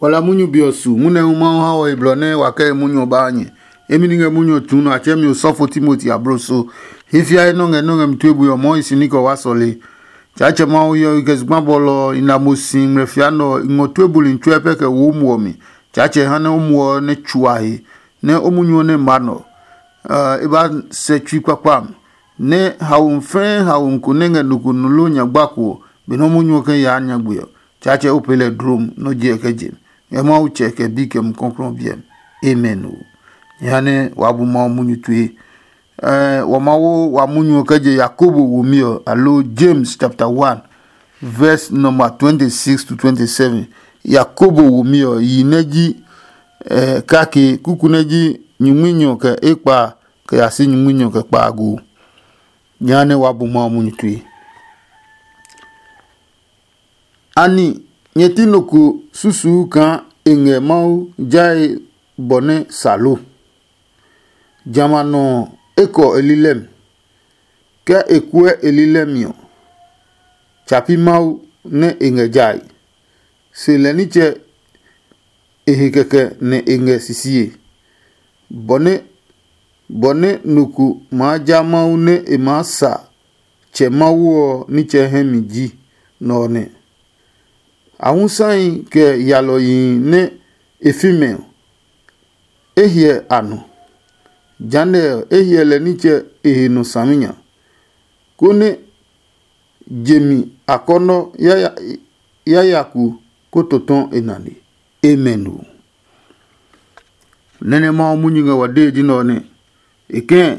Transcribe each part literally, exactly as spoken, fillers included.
Wala munyu be ɔ su, munyu nɛ hu Mawu ha ɔ he blɔ nɛ wa kɛ he munyu ɔ ba ha nyɛ. Emi ni ngɛ munyu ɔ tsuu nɔ a tsɛɛ mi osɔfo Timoti abloso. Hi fiae nɔ́ ngɛ nɔ́ ngɛ mi tue bui ɔ mɔɔ hi si ní kɛ wa sɔle. Tsaatsɛ Mawu hyɛ ɔ kɛ zugba bɔlɔ ɔ, i na mo si ngmlɛ fia nɛ ɔ, i ngɔ tue buli tsuɛ pɛ kɛ wo o muɔ mi. Tsaatsɛ ha nɛ o muɔ ɔ nɛ tsuahe, nɛ o munyu ɔ nɛ ma nɔ. E ba sɛ tsui kpakpa mi, nɛ haomi fɛɛ haomi ko nɛ ngɛ nɔ ko nɔ loo nya gbako ɔ, benɛ o munyu ɔ kɛ yaa nyagbe ɔ, Tsaatsɛ o pee lɛ dlom nɛ o je e kɛ je mi. Ngɛ Mawu Tsɛ kɛ Bi kɛ Mumi Klɔuklɔu ɔ biɛ mi. Amen o. Jehanɛ waa bu Mawu munyu tue. Ɛɛ, wa ma wo wa munyu ɔ kɛ je Yakobo womi ɔ, aloo James chapter one, verse number twenty-six to twenty-seven. Yakobo womi ɔ, yi nɛ ji ɛɛ, kake, kuku nɛ ji nyingminyɔ kɛ ekpa kɛ ya si nyingminyɔ kɛ kpaago. Jehanɛ waa bu Mawu munyu tue. Ani nyɛ ti nɔ ko susuu kaa e ngɛ Mawu jae bɔ nɛ sa lo? Jamɛ a nɔ ɔ, e kɔ e lilɛ mi. Ke e kuɛ e lilɛ mi ɔ, tsa pi Mawu nɛ e ngɛ jae. Se lɛ nitsɛ e he kɛkɛ nɛ e ngɛ sisie. Bɔ nɛ bɔ nɛ nɔ ko maa ja Mawu nɛ e maa sa Tsɛ Mawu ɔ nitsɛ hɛ mi ji nɛ ɔ nɛ. Ahusahi kɛ yalɔyihi nɛ e fi mɛ ɔ, e hyɛ a nɔ. Jehanɛ ɔ, e hyɛ lɛ nitsɛ e he nɔ saminya, konɛ je mi akɔnɔ yayaku ko tɔtɔ e nane. Amen o. Nɛ́ nɛ Mawu munyu ngɛ wa dee ji nɛ ɔ nɛ e kɛ̃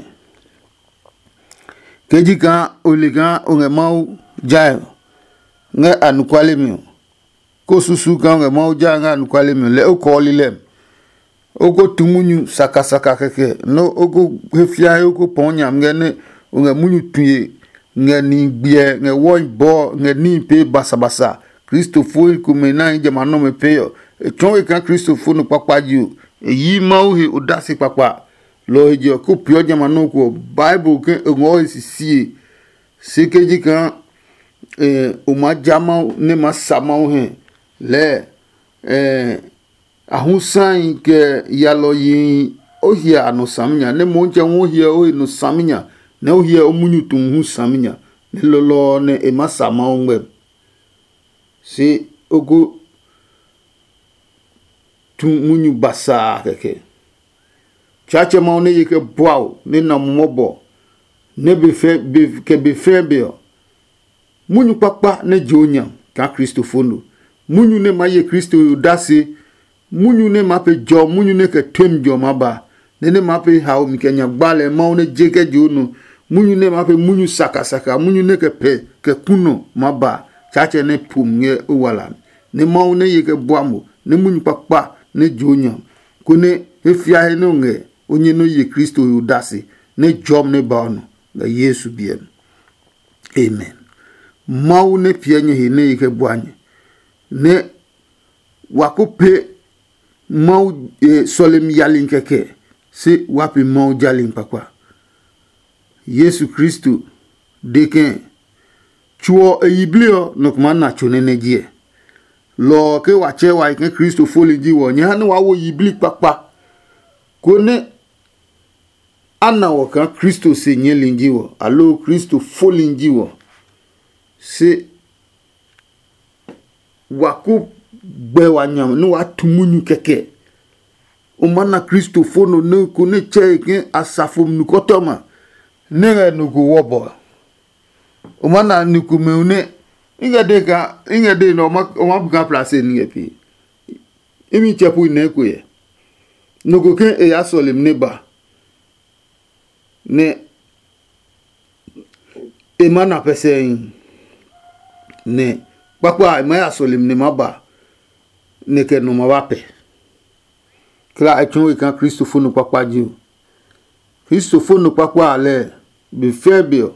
ke ji kaa o le kaa o ngɛ Mawu jae ngɛ anɔkuale mi ɔ, ko susu kaa o ngɛ Mawu jae ngɛ anɔkuale mi ɔ, lɛɛ o kɔɔ lilɛ mi. O ko tu munyu sakasaka kɛkɛ nɛ o ko he fiae o ko pɔɔ nyami ngɛ nɛ o ngɛ munyu tue ngɛ nihi gbiɛ ngɛ wɔi bɔɔ ngɛ níhi pee basabasa. Kristofoi komɛ nɛ a hi jamɛ a nɔmɛ pee ɔ, e tsɔɔ we kaa kristofo nɔ kpakpa ji o. E yi Mawu he odase kpakpa. Lɔ ɔ he je ɔ, ko peeɔ jamɛ a nɔ́ ko ɔ, Bible ke e ngɔɔ he sisie. Se ke ji kaa o maa ja Mawu nɛ maa sa Mawu hɛ lɛɛ, ahusahi kɛ yalɔyihi o hyɛ a nɔ saminya, nɛ Motsɛ hu o hyɛ o he nɔ saminya, nɛ o hyɛ o munyu tu hu saminya, nɛ lɔlɔ ɔ nɛ e maa sa Mawu ngmɛmi. Se o ko tu munyu basaa kɛkɛ. Tsaatsɛ Mawu nɛ ye kɛ bua o, nɛ na mo mɔbɔ, nɛ be fɛ be kɛ be fɛɛ be ɔ, munyu kpakpa nɛ je o nya kaa kristofo no. Munyu nɛ maa ye Kristo he odase, munyu nɛ maa pe jɔ, munyu nɛ kɛ temi jɔ maa ba, nɛ nɛ maa pe hao mi kɛ nya gbalɛ Mawu nɛ je kɛ je o nɔ, munyu nɛ maa pe munyu sakasaka, munyu nɛ kɛ pɛ kɛ ku nɔ maa ba. Tsaatsɛ nɛ po mi ngɛ o wala mi, nɛ Mawu nɛ ye kɛ bua mo, nɛ munyu kpakpa nɛ je o nya, konɛ he fia he nɛ o ngɛ o nyɛ nɛ o ye Kristo he odase, nɛ jɔmi nɛ ba o nɔ ngɛ Yesu biɛ mi. Amen. Mawu nɛ piɛ nyɛ he nɛ e kɛ bua nyɛ, nɛ wa ko pe Mawu sɔlemi yali kɛkɛ, se wa pe Mawu jali kpakpa. Yesu Kristo de kɛ̃, tso ɔ e yiblii ɔ nɔ ko maa na tso nɛ nɛ jiɛ. Lɔ ɔ ke wa tsɛɛ wa he ke Kristo foli ji wɔ, nyɛ ha nɛ waa wo yiblii kpakpa, konɛ a na wɔ kaa Kristo se nyɛɛli ji wɔ, aloo Kristo foli ji wɔ. Se wa ko gbɛ wa nya nɛ waa tu munyu kɛkɛ. O maa na kristofo no nɛ ko nɛ tsɛ e ke asafo nukɔtɔma nɛ ngɛ nɔ ko wɔbɔ. O maa na ni komɛ nɛ i ngɛ de ka i ngɛ de nɛ o ma bu ka plase ni ngɛ pee. Imi tsɛ pu nɛ ko yɛ. Nɔ ko ke e ya sɔlemi nɛ ba nɛ e ma na pɛsɛi, nɛ kpakpa a e ma ya sɔlemi nɛ ma ba nɛ kɛ nɔ ma ba pɛ. Kla e tsɔɔ we kaa kristofo nɔ kpakpa ji o. Kristofo nɔ kpakpa a lɛɛ be fɛɛ be ɔ,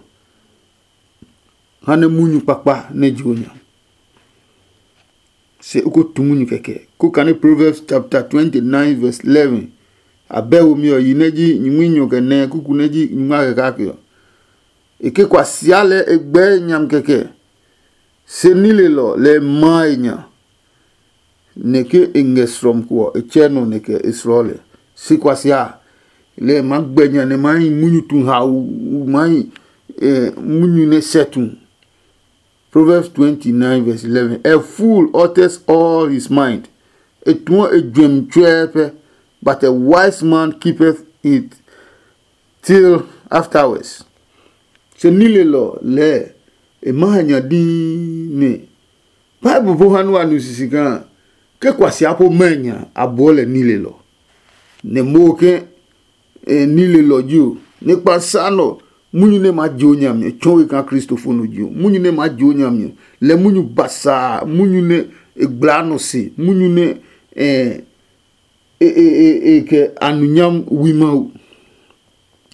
ha nɛ munyu kpakpa nɛ ji o nya. Se o ko tu munyu kɛkɛ. Ko kane Proverbs chapter twenty-nine verse eleven. A bɛ womi ɔ yi nɛ ji nyingminyɔ kɛ nɛ kuku nɛ ji nyingma kɛ kake ɔ. E ke kwa sia lɛ e gbɛɛ nyam kɛkɛ. Se nilelɔ lɛ e maa e nya. nɛ ke e ngɛ srɔm ko ɔ, e tsɛ nɔ nɛ kɛ e slɔ lɛ. Se kuasia lɛ e maa gbɛ nya nɛ maa hi munyu tu hau, maa hi munyu nɛ sɛ tu. Proverbs twenty-nine verse eleven. A fool utters all his mind. E tuɔ e juɛmi tsuɛɛ pɛ, but a wise man keepeth it till afterwards. Se nilelɔ lɛɛ e ma ha nya dii nɛ Bible po ha nua nu sisi kaa ke kuasia po mɛ nya a buɔ lɛ nilelɔ. Nɛ mo ke e nilelɔ ji o, nɛ kpa sa nɔ munyu nɛ ma je o nyami tsɔ we kaa kristofo no ji o, munyu nɛ ma je o nyami lɛ munyu basaa, munyu nɛ e gbla nɔ se, munyu nɛ e e e e kɛ anunyam wi Mawu.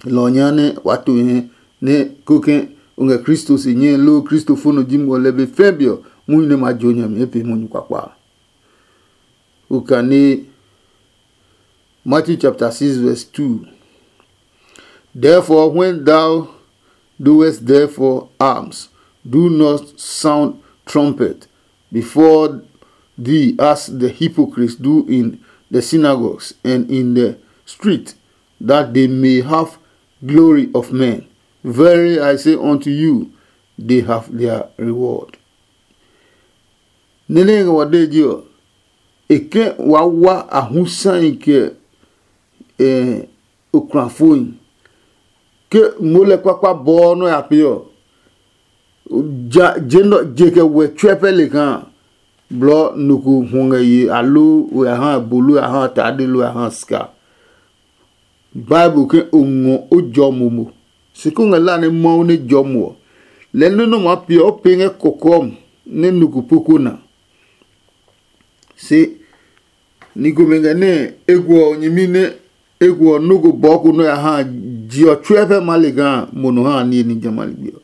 Lɔ ɔ nya nɛ wa to hɛ nɛ ko ke o ngɛ Kristo se nyɛ loo kristofo no ji mo lɛ be fɛ be ɔ, munyu nɛ ma je o nyami e pe munyu kpakpa. Okane Matthew chapter six verse two. Therefore, when thou doest therefore alms, do not sound trumpet before thee as the hypocrites do in the synagogues and in the street, that they may have glory of men. Verily I say unto you, they have their reward. Nene ngɛ wa de ji ɔ, e ke wa wa a hu sai kɛ eh, okulafoi. Ke ngmo lɛ kpakpa bɔɔ nɔ ya pee ɔ, ja je nɔ je kɛ wɛ tsɔɛ pɛ le kaa blɔ nɔ ko hwɔ ngɛ ye aloo o ya ha bolo ya ha tade lo ya ha sika. Bible ke o ngɔ o jɔ momo. Se ko ngɛ la nɛ Mawu nɛ jɔ mo ɔ, lɛ nɔ́ nɔ maa pee ɔ, o pee ngɛ kɔkɔɔ nɛ nɔ ko po ko na. Se ni komɛ ngɛ nɛ e guɔ nyɛmi nɛ e guɔ nɔ́ ko bɔɔ ko nɔ́ ya ha je ɔ tsuɛ fɛ ma le kaa mo nɔ ha niye ní jamɛ a ligbi ɔ.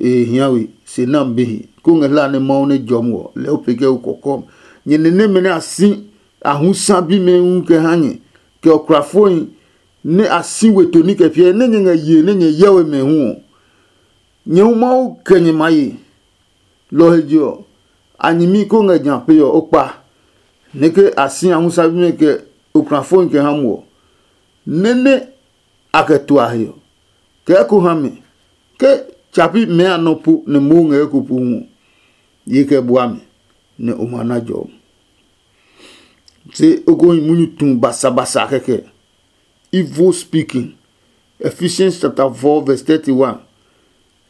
E hia we se nam bihi ko ngɛ hla nɛ Mawu nɛ jɔ mo ɔ, lɛ o pe kɛ o kɔkɔm. Nyɛ nɛ nɛmɛ nɛ a si a hu sa bimɛ hu kɛ ha nyɛ, kɛ okrafohi nɛ a si we toni kɛ piɛ nɛ nyɛ ngɛ ye nɛ nyɛ yɛ we mɛ hu ɔ, nyɛ hu Mawu kɛ nyɛ ma ye. Lɔ ɔ he je ɔ, a nyɛmi ko ngɛ nya pe ɔ o kpa, nɛ ke a si a hu sa bimɛ kɛ okrafohi kɛ ha mo ɔ, nɛ nɛ a kɛ tua he ɔ, kɛ eko ha mɛ ke tsapi mɛɛ a nɔ po nɛ moo ngɛ eko po hu ɔ, ye kɛ bua mɛ, nɛ o ma na jɔ. Se o ko hi munyu tu basabasa kɛkɛ. Evil speaking. Ephesians chapter four verse thirty-one.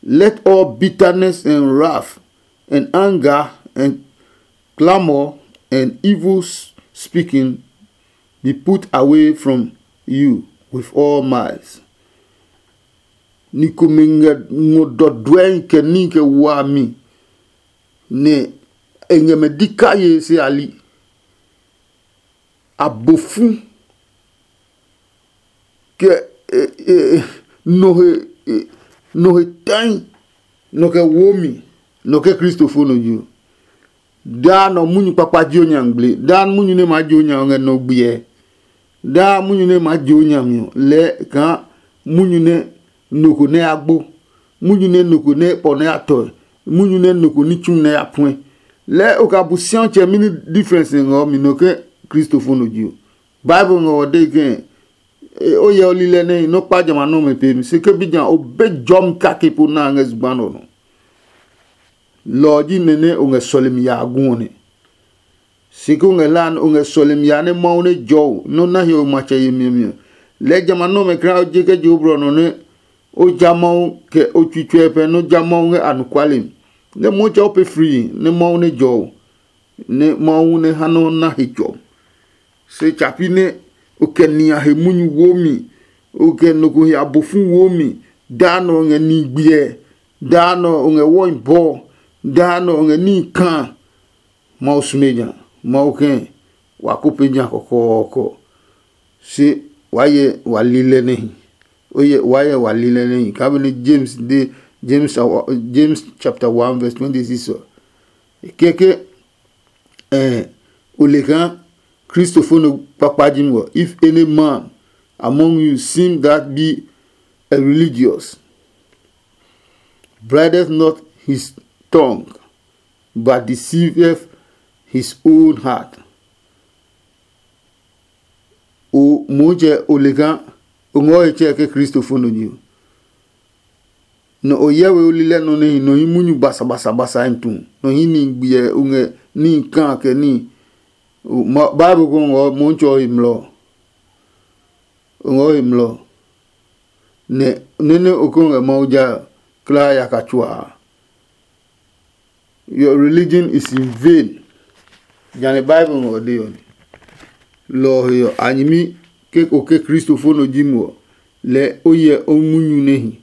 Let all bitterness and wrath and anger and clamor and evil speaking be put away from you with all malice. Ni komɛ ngɛ ngɔ dɔdɔɛi kɛ ní kɛ wami, nɛ e ngɛ mɛ di kaye se a li. Abofu kɛ nɔ he tãi, nɔ kɛ wo mi, nɔ kɛ kristofo nɔ yi. Daa nɔ munyu kpakpa ji o nya ngmle, daa munyu nɛ maa ji o nya ngɛ nɔ gbiɛ. Daa munyu nɛ maa ji o nya mi ɔ, lɛɛ kaa munyu nɛ nɔ ko nɛ ya gbo, munyu nɛ nɔ ko nɛ pɔ nɛ ya tɔe, munyu nɛ nɔ ko ní tsu nɛ ya puɛ. Lɛɛ o ka bu siatsɛ mini difference ngɛ ɔ mi nɔ ke kristofo nɔ ji o. Bible ngɛ ɔ dee ke o yɛ o lilɛ nɛ nɔ kpa jamɛ a nɔmɛ pe mi se ke bi nya o be jɔmi kake po na ngɛ zugba nɔ nɔ. Lɔ ɔ ji nɛ nɛ o ngɛ sɔlemi ya a gu ɔ nɛ. Si ko ngɛ hlae nɛ o ngɛ sɔlemi ya nɛ Mawu nɛ jɔ o nɛ o na hiɔwe matsɛ yemi ɔ mi ɔ, lɛɛ jamɛ a nɔmɛ kra o je kɛ je o blɔ nɔ nɛ o ja Mawu kɛ o tsui tsuɛ pɛ nɛ o ja Mawu ngɛ anɔkuale mi. Nɛ Mawu tsɛ o pee frii nɛ Mawu nɛ jɔ o, nɛ Mawu nɛ ha nɛ o na he jɔ. Se tsapi nɛ o kɛ nia he munyu wo mi, o kɛ nɔ ko he abofu wo mi, daa nɔ o ngɛ ni gbiɛ, daa nɔ o ngɛ wɔi bɔɔ, daa nɔ o ngɛ níhi kaa. Mawu sume ja, Mawu kɛ̃ wa ko pe ja kɔkɔɔkɔ. Se wa yɛ wa li lɛ nɛhi. O yɛ wa yɛ wa li lɛ nɛhi. Ka benɛ James de James awa- James chapter one verse twenty six ɔ. Kɛkɛ eh, o le kaa kristofo no kpakpa ji mi ɔ. If any man among you seem that be a religious, brideth not his tongue, but deceiveth his own heart. O Motsɛ, o le kaa o ngɔ he tsɛ ke Kristo fo nɔ nyi o. Nɔ o hyɛ we o lilɛ nɔ nɛ hi nɔ hi munyu basabasabasa hi tu, nɔ hi ni gbiɛ o ngɛ ni kaa kɛ ni. Bible ko ngɔ Motsɛ ɔ he mlɔ. O ngɔ he mlɔ. Nɛ nɛnɛ o ko ngɛ Mawu ja klaa yaka tsuaa. Your religion is in vain. Jane Bible ngɔ de ɔ ni. Lɔ ɔ he ɔ, a nyɛmi ke o ke Kristo fo nɔ ji mo ɔ, lɛɛ o hyɛ o munyu nɛ hi.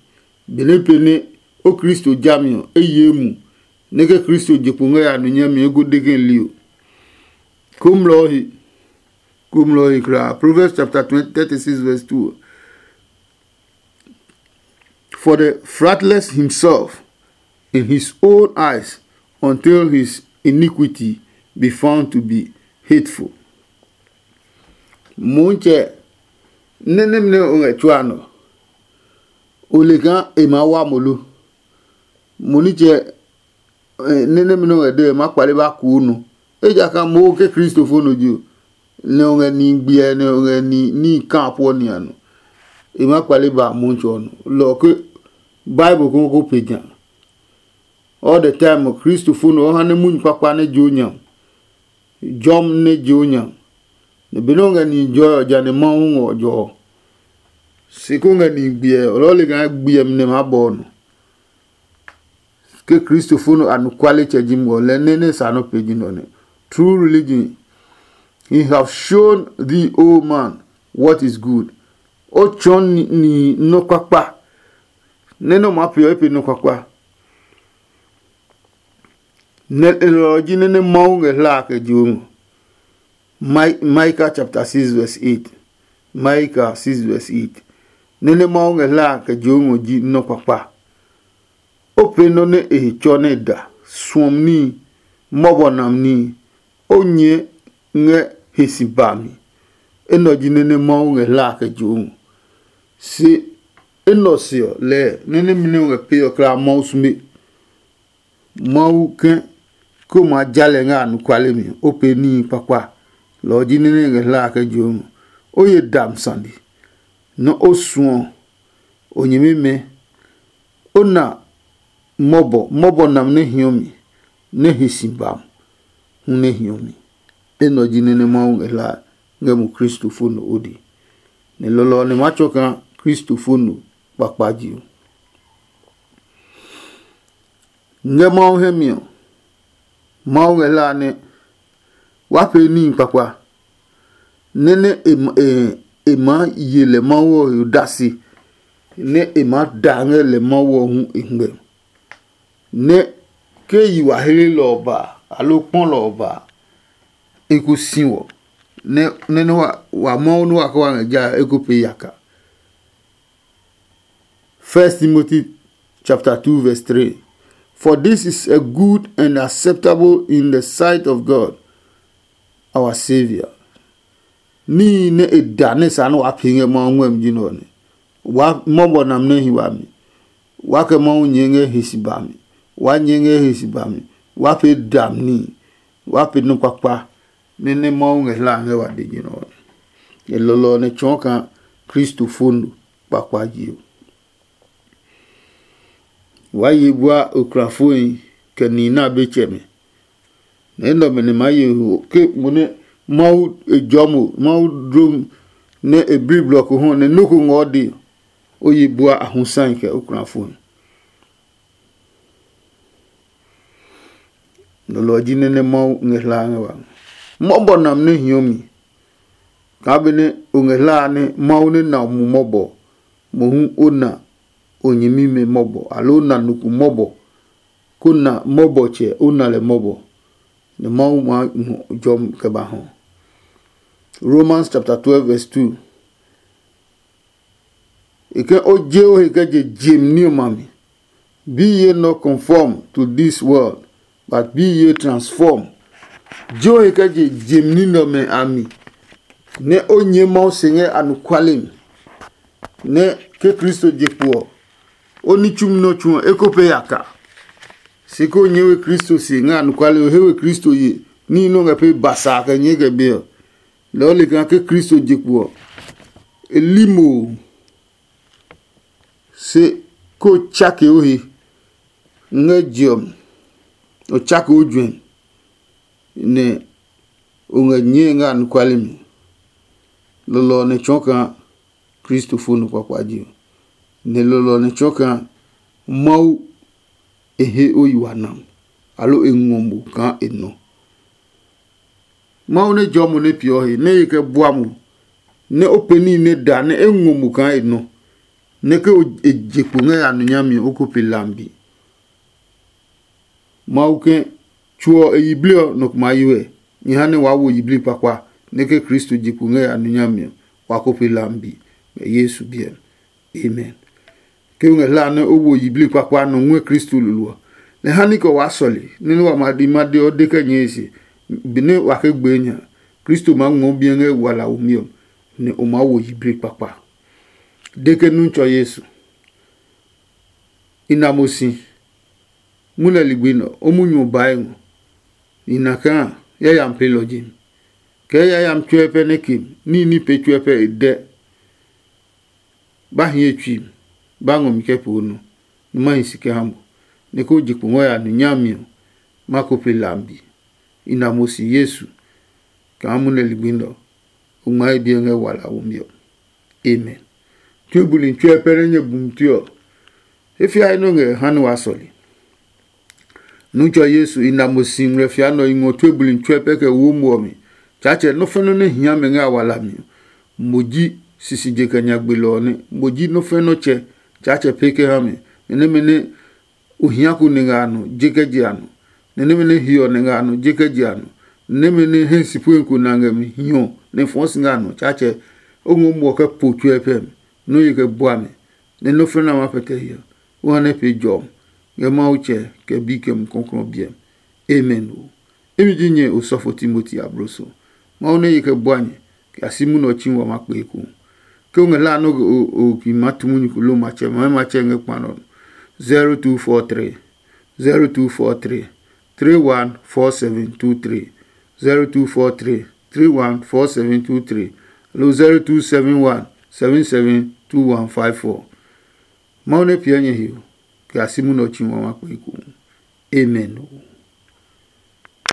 Benɛ pɛnɛ o Kristo jami ɔ, e ye mu nɛ ke Kristo je kpo ngɛ ya nɔ nyami eko de ke li o. Komlɔ ɔ he, komlɔ ɔ he kulaa. Proverbs chapter twenty, thirty-six verse two. For the fratless himself in his own eyes until his iniquity be found to be hateful. Motsɛ, nɛnɛ nɛ o ngɛ tsuaa nɔ, o le kaa e maa wa mo lo? Mo nitsɛ, nɛnɛ nɛ o ngɛ de ɔ, e maa kpale ba kuu nɔ. Ejakaa mo ke Kristo fo nɔ ji o, nɛ o ngɛ ni gbiɛ nɛ o ngɛ ni ní kaa puɔ ni a nɔ. E maa kpale ba Motsɛ ɔ nɔ. Lɔ ɔ ke Bible ko ko pe ja. All the time Kristo fo nɔ ɔ ha nɛ munyu kpakpa nɛ jo nya. Jɔm nɛ je o nya. Nɛ benɛ o ngɛ nihi jɔe ɔ, ja nɛ Mawu ngɔ jɔ ɔ. Se ko ngɛ nihi gbiɛ ɔ, lɔɔ le kaa gbiɛ mi nɛ maa bɔ ɔ nɔ. Ke Kristo fo nɔ anɔkuale tsɛ ji mo ɔ, lɛ nɛ nɛ sa nɔ pe ji nɔ nɛ. True religion, he have shown thee, O man, what is good. O tsɔɔ nihi nɔ́ kpakpa. Nɛ nɛ o maa peeɔ, e pe nɔ́ kpakpa. Nɛ e lɔ ɔ ji nɛ nɛ Mawu ngɛ hla a kɛ je o ngɔ. Micah chapter six verse eight. Micah six verse eight. Nɛ nɛ Mawu ngɛ hla a kɛ je o ngɔ ji nɔ́ kpakpa. O pee nɔ́ nɛ e he tsɔ nɛ e da, suɔmi níhi, mɔbɔ nam níhi, o nyɛɛ ngɛ he si ba mi. Enɛ ɔ ji nɛ nɛ Mawu ngɛ hla a kɛ je o ngɔ. Se enɛ ɔ se ɔ, lɛɛ nɛ nɛmɛ nɛ o ngɛ pee ɔ kla Mawu sume. Mawu ke, ke o maa ja lɛ ngɛ anɔkuale mi, o pee níhi kpakpa. Lɔ ɔ ji nɛ nɛ ngɛ hla a kɛ je o ngɔ. O ye dami sane, nɛ o suɔ o nyɛmimɛ, o na mɔbɔ, mɔbɔ nam nɛ hiɔ mi, nɛ hi si bam hu nɛ hiɔ mi. Enɛ ɔ ji nɛ nɛ Mawu ngɛ hlaa ngɛ mo Kristo fo nɔ o dee. Nɛ lɔlɔ ɔ nɛ maa tsɔɔ kaa Kristo fo nɔ kpakpa je ɔ. Ngɛ Mawu hɛ mi ɔ, Mawu ngɛ hlaa nɛ wa pee níhi kpakpa, nɛ nɛ e ma- e- e maa ye lɛ Mawu ɔ he odase, nɛ e maa da ngɛ lɛ Mawu ɔ hu e ngmɛ. Nɛ ke yi wa hlelɔ ɔ ba, aloo kpɔlɔ ɔ ba, e ko si wɔ, nɛ nɛ nɛ wa wa Mawu nɛ wa kɛ wa ngɛ ja e ko pee yaka. First Timothy chapter two verse three. For this is a good and acceptable in the sight of God, our Saviour. Níhi nɛ e da nɛ sa nɛ waa pee ngɛ Mawu ngmɛmi ji nɛ ɔ nɛ. Waa mɔbɔ nam nɛ hi wami. Waa kɛ Mawu nyɛɛ ngɛ he si bami. Waa nyɛɛ ngɛ he si bami. Waa pee dam níhi. Waa pee nɔ kpakpa nɛ nɛ Mawu ngɛ hla ngɛ wa de ji nɛ ɔ nɛ. E lɔlɔ ɔ nɛ tsɔɔ kaa Kristo fo no kpakpa je ɔ. Waa ye bua okrafohi kɛ nihi nɛ a be tsɛmɛ. Nɛ enɛ ɔmɛ nɛ maa ye ho ke mo nɛ Mawu e jɔɔ mo, Mawu dlom nɛ e bli blɔ ko hɔ nɛ nɔ́ ko ngɔ de, o ye bua a hu sahi kɛ okrafohi. Nɔ lɔ ɔ ji nɛ nɛ Mawu ngɛ hlaa ngɛ wa. Mɔbɔ nam nɛ hiɔ mi. Kaa benɛ o ngɛ hlaa nɛ Mawu nɛ na o mu mɔbɔ, mohu o na o nyɛmimɛ mɔbɔ, aloo o na nɔ ko mɔbɔ, ko na mɔbɔtsɛ o na lɛ mɔbɔ, nɛ Mawu maa ngɔ jɔmi kɛ ba hɔ. Romans chapter twelve verse two. E ke o je o he kɛ je jem ní ɔmɛ a mi. Be ye not conform to this world, but be ye transform. Je o he kɛ je jem ní nɛ ɔmɛ a mi, nɛ o nyɛɛ Mawu se ngɛ anɔkuale mi, nɛ ke Kristo je kpo ɔ, o ní tsumi nɛ o tsu ɔ, e ko pee yaka. Se ko nyɛ we Kristo se ngɛ anɔkuale, o he we Kristo ye, Níhi nɛ o ngɛ pee basa kɛ nyɛɛ kɛ be ɔ, lɛɛ o le kaa ke Kristo je kpo ɔ, e li mo ɔ. Se ko tsake o he ngɛ je ɔ mi, o tsake o juɛ, nɛ o ngɛ nyɛe ngɛ anɔkuale mi. Lɔlɔ ɔ nɛ tsɔɔ kaa Kristo fo nɔ kpakpa je ɔ, nɛ lɔlɔ ɔ nɛ tsɔɔ kaa Mawu e he o yi wa nam, aloo e ngɔ mo kaa e nɔ. Mawu nɛ jɔɔ mo nɛ peeɔ he nɛ e kɛ bua mo, nɛ o pɛ níhi nɛ da nɛ e ngɔ mo kaa e nɔ, nɛ ke o e je kpo ngɛ ya nɔ nyami ɔ, o ko pe lambi. Mawu ke tso ɔ e yiblii ɔ nɔ ko maa yi wɛ. Nyɛ ha nɛ waa wo yiblii kpakpa, nɛ ke Kristo je kpo ngɛ ya nɔ nyami ɔ, wa ko pe lambi ngɛ Yesu biɛ mi. Amen. Ke o ngɛ hlaa nɛ o wo yiblii kpakpa nɔ ngɔɛ Kristo lolo ɔ, nɛ ha ní kɛ waa sɔle nɛ nɛ wa ma di ma de ɔ de kɛ nyɛɛ se, benɛ wa ke gbee nya, Kristo maa ngmɔ biɛ ngɛ wala womi ɔ, nɛ o maa wo yiblii kpakpa. De ke nu tsɔ Yesu. I na mo si. Mu lɛ ligbi nɛ o munyu ɔ bae ngɔ. I na kaa yayami pelɔ ji mi. Kɛɛ yayami tsuɛ pɛ nɛ ke mi, níhi ní pee tsuɛ pɛ e dɛ. Ba hi ye tsui mi, ba ngɔ mi kɛ poo nɔ, nɛ ma hi si kɛ ha mo, nɛ ko je kpo ngɔ ya nu nyami ɔ, ma ko pe lambi. I na mo si Yesu kaa mu nɛ ligbi nɛ ɔ, o ngmaa e biɛ ngɛ wala womi ɔ. Amen. Tue buli tsuɛ pɛ nɛ nyɛ bumi tue ɔ, e fia he nɔ ngɛ ha nɛ wa sɔle. Nutsɔ Yesu, i na mo si ngmlɛ fia nɔ i ngɔ tue buli tsuɛ pɛ kɛ wo mo ɔ mi. Tsaatsɛ nɔ́ fɛnɛ nɛ hia mɛ ngɛ a wala mi ɔ, mo ji sisije kɛ nyagbelɔ ɔ nɛ. Mo ji nɔ́ fɛnɛ nɔ́ tsɛ. Tsaatsɛ pee kɛ ha mi, nɛ nɛmɛ nɛ o hia ko nɛ ngɛ a nɔ je kɛ je a nɔ, nɛ nɛmɛ nɛ hiɔ nɛ ngɛ a nɔ je kɛ je a nɔ, nɛ nɛmɛ nɛ hɛ si pue ko na ngɛ mi hiɔ nɛ fɔɔ si ngɛ a nɔ. Tsaatsɛ o ngɔ muɔ kɛ po tsuɛ pɛ mi, nɔ́ ye kɛ bua mi, nɛ nɔ́ fɛnɛ a ma pɛtɛ hiɔ. O ha nɛ pee jɔmi ngɛ Mawu tsɛ kɛ bi kɛ Mumi Klɔuklɔu biɛ mi. Amen o. Imi ji nyɛ osɔfo Timoti abloso. Mawu nɛ ye kɛ bua nyɛ kɛ ya si munɛ ɔ tsi wa ma kpee eko. Ke o ngɛ hlaa nɛ o ki ma tu munyu ko lo matsɛ ma matsɛ ngɛ kpa nɔ. Zero two four three, zero two four three, three one four seven two three, zero two four three, three one four seven two three, lo zero two seven one seven seven two one five four. Mawu nɛ piɛ nyɛ he o kɛ ya si munɛ ɔ tsi wa ma kpee eko. Amen o.